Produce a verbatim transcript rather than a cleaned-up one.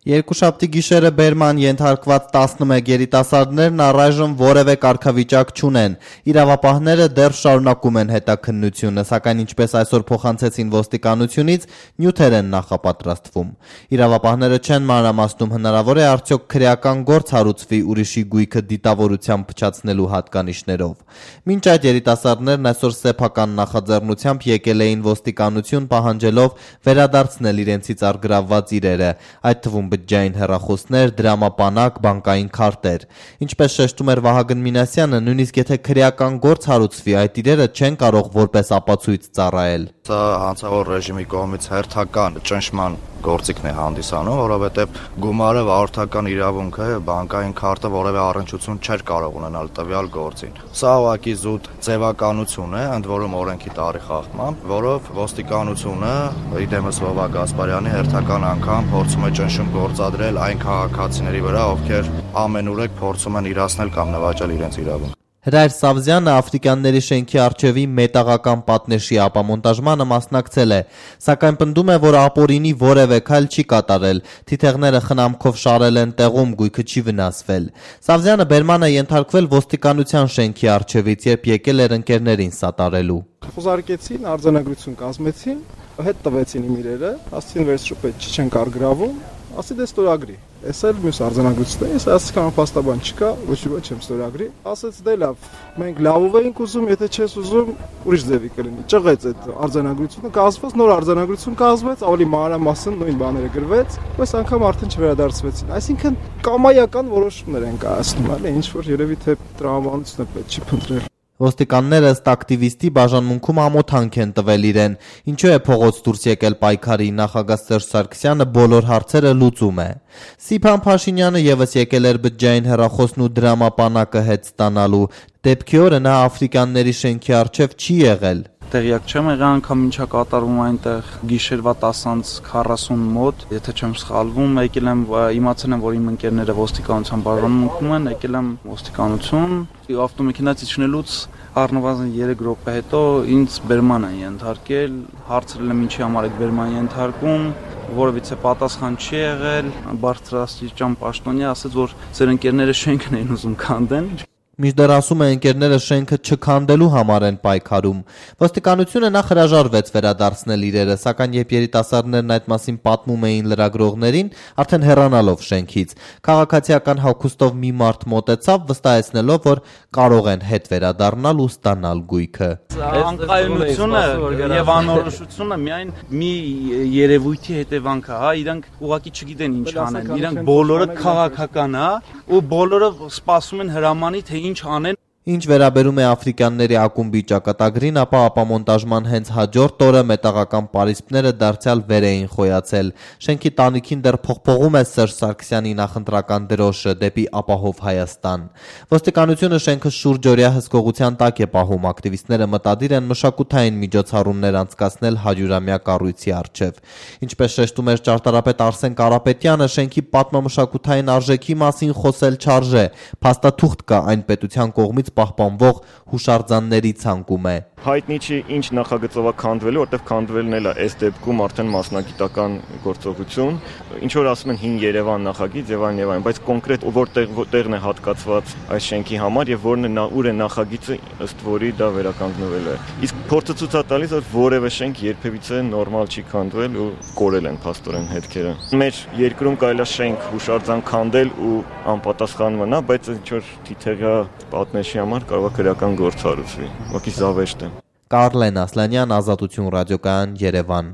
Երկուշաբթի գիշերը բերման ենթարկված տասնմեկ երիտասարդներն առայժմ որևէ կարգավիճակ չունեն։ Իրավապահները դեռ շարունակում են հետաքննությունը, սակայն ինչպես այսօր փոխանցեցին ոստիկանությունից, նյութեր են նախապատրաստվում։ Իրավապահները չեն մանրամասնում հնարավոր է արդյոք քրեական գործ հարուցվի ուրիշի գույքը դիտավորությամբ փչացնելու հատկանիշներով։ Մինչ այդ երիտասարդներն այսօր սեփական նախաձեռնությամբ եկել էին ոստիկանություն պահանջելով վերադարձնել իրենցից առգրավված իրերը, այդ թվում բջջային հեռախոսներ, դրամապանակ, բանկային քարտեր։ Ինչպես շեշտում էր Վահագն Մինասյանը, նույնիսկ եթե քրեական գործ հարուցվի, այդ իրերը չեն կարող որպես ապացույց ծառայել։ Սա հանցավոր ռեժիմի կողմից հերթական ճնշման գործիքն է հանդիսանում, որովհետև գումարը վարորդական իրավունքը, բանկային քարտը որևէ առնչություն չէր կարող ունենալ տվյալ գործին։ Սա ուղղակի զուտ ձևականություն է, ընդ որում օրենքի տարի խախտմամբ, որով ոստիկանությունը իդեմս Վովա Գասպարյանի հերթական անգամ փորձում է ճնշում գործադրել այն քաղաքացիների վրա, ովքեր ամենուրեք փորձում են իրացնել կամ նվաճել իրենց իրավունք։ Հրայր Սավզյանը Աֆրիկանների շենքի առջևի մետաղական պատնեշի ապամոնտաժմանը մասնակցել է, սակայն պնդում է, որ ապօրինի որևէ քայլ չի կատարել, թիթեղները խնամքով շարել են տեղում, գույքը չի վնասվել։ Սավզյանը բերման է ենթարկվել ոստիկանության շենքի առջևից, երբ եկել էր ընկերներին սատարելու։ Խոզարկեցին, արձանագրություն կազմեցին, հետ տվեցին իմ իրերը, ասացին վերջրուպետ չեն կարգրավում, ասի դե ստորագրի։ Ես էլ մյուս արձանագրությունն եմ, ասացի կամ փաստաբան չկա, ոչ ոք չեմ ստորագրի։ Ասաց դե լավ, մենք լավով էինք ուզում, եթե չես ուզում, ուրիշ ձևի կլինի։ Ճղեց այդ արձանագրությունը, կազմվեց նոր արձանագրություն կազմվեց, ավելի մանրամասն նույն բաները գրվեց, այս անգամ արդեն չվերադարձվեցին։ Այսինքն կամայական որոշումներ են կայացնում, այլ ինչ որ երևի թե տրամաբանությունը պետք չի փնտրել։ Ոստիկանները ըստ ակտիվիստի բաժանմունքում ամոթանք են տվել իրեն։ Ինչու է փողոց դուրս եկել պայքարի, նախագահ Սերժ Սարգսյանը բոլոր հարցերը լուծում է։ Սիփան Փաշինյանը եւս եկել էր բջջային հեռախոսն ու դրամապանակը հետ ստանալու։ Դեպքի օրը նա Աֆրիկանների շենքի առջև չի եղել։ Տեղյակ չեմ եղել անգամ ինչա կատարվում այնտեղ գիշերվա տասը քառասուն մոտ, եթե չեմ սխալվում, եկել եմ իմացել եմ, որ իմ ընկերները ոստիկանության բաժանմունքում են, եկել եմ ոստիկանություն, ավտոմեքենայից իջնելուց առնվազն երեք րոպե հետո ինձ բերման են ենթարկել, հարցրել եմ ինչի համար եք բերման ենթարկում, որովհետեւ պատասխան չի եղել, բարձրաստիճան պաշտոնյա ասաց, որ ձեր ընկերները շենքն են ուզում քանդեն։ Մինչդեռ ասում է ընկերները շենքը չքանդելու համար են պայքարում։ Ոստիկանությունը նախ հրաժարվեց վերադարձնել իրերը, սակայն երբ երիտասարդներն այդ մասին պատմում էին լրագրողներին, արդեն հեռանալով շենքից, քաղաքացիական հագուստով մի մարդ մոտեցավ, վստահեցնելով, որ կարող են հետ վերադառնալ ու ստանալ գույքը։ Անկայունությունը եւ անորոշությունը միայն մի երևույթի հետևանք է, հա, իրանք ուղղակի չգիտեն ինչ անեն, իրանք բոլորը քաղաքական է ու բոլորը սպասում են հրամանի թե ինչ անեն։ Ինչ վերաբերում է Աֆրիկանների ակումբի ճակատագրին, ապա ապամոնտաժման հենց հաջորդ օրը մետաղական պարիսպները դարձյալ վեր էին խոյացել։ Շենքի տանիքին դեռ փողփողում է Սերժ Սարգսյանի նախընտրական դրոշը դեպի ապահով Հայաստան։ Ոստիկանությունը շենքը շուրջօրյա հսկողության տակ է պահում, ակտիվիստները մտադիր են մշակութային միջոցառումներ անցկացնել հարյուրամյա կառույցի առջև։ Ինչպես շեշտում էր ճարտարապետ Արսեն Կարապետյանը, շենքի պատմամշակութային արժեքի մասին խոսել չարժե, փաստաթուղթ կա այն պետության կողմից պահպանվող հուշարձանների ցանկում է։ Հայտնի չի ինչ նախագծով է քանդվելու, որտեղ քանդվելն էլ է այս դեպքում արդեն մասնագիտական գործողություն, ինչ որ ասում են հին Երևան նախագիծ եւ այն եւ այն, բայց կոնկրետ որտեղ որտեղն է հատկացված այս շենքի համար եւ որն է ուր է նախագիծը, ըստ որի դա վերականգնվել է։ Իսկ փորձը ցույց է տալիս, որ որևէ շենք երբևիցե նորմալ չի քանդվել ու կորել են փաստորեն հետքերը։ Մեր երկրում կարելի է շենք հուշարձան քանդել ու անպատասխան մնա, բայց ինչ որ թիթեղյա պատնեշի համար կարող է քրեական գործ հարուցվի։ Ուղղակի զավեշտ է։ Կարլեն Ասլանյան, Ազատություն ռադիոկայան, Երևան։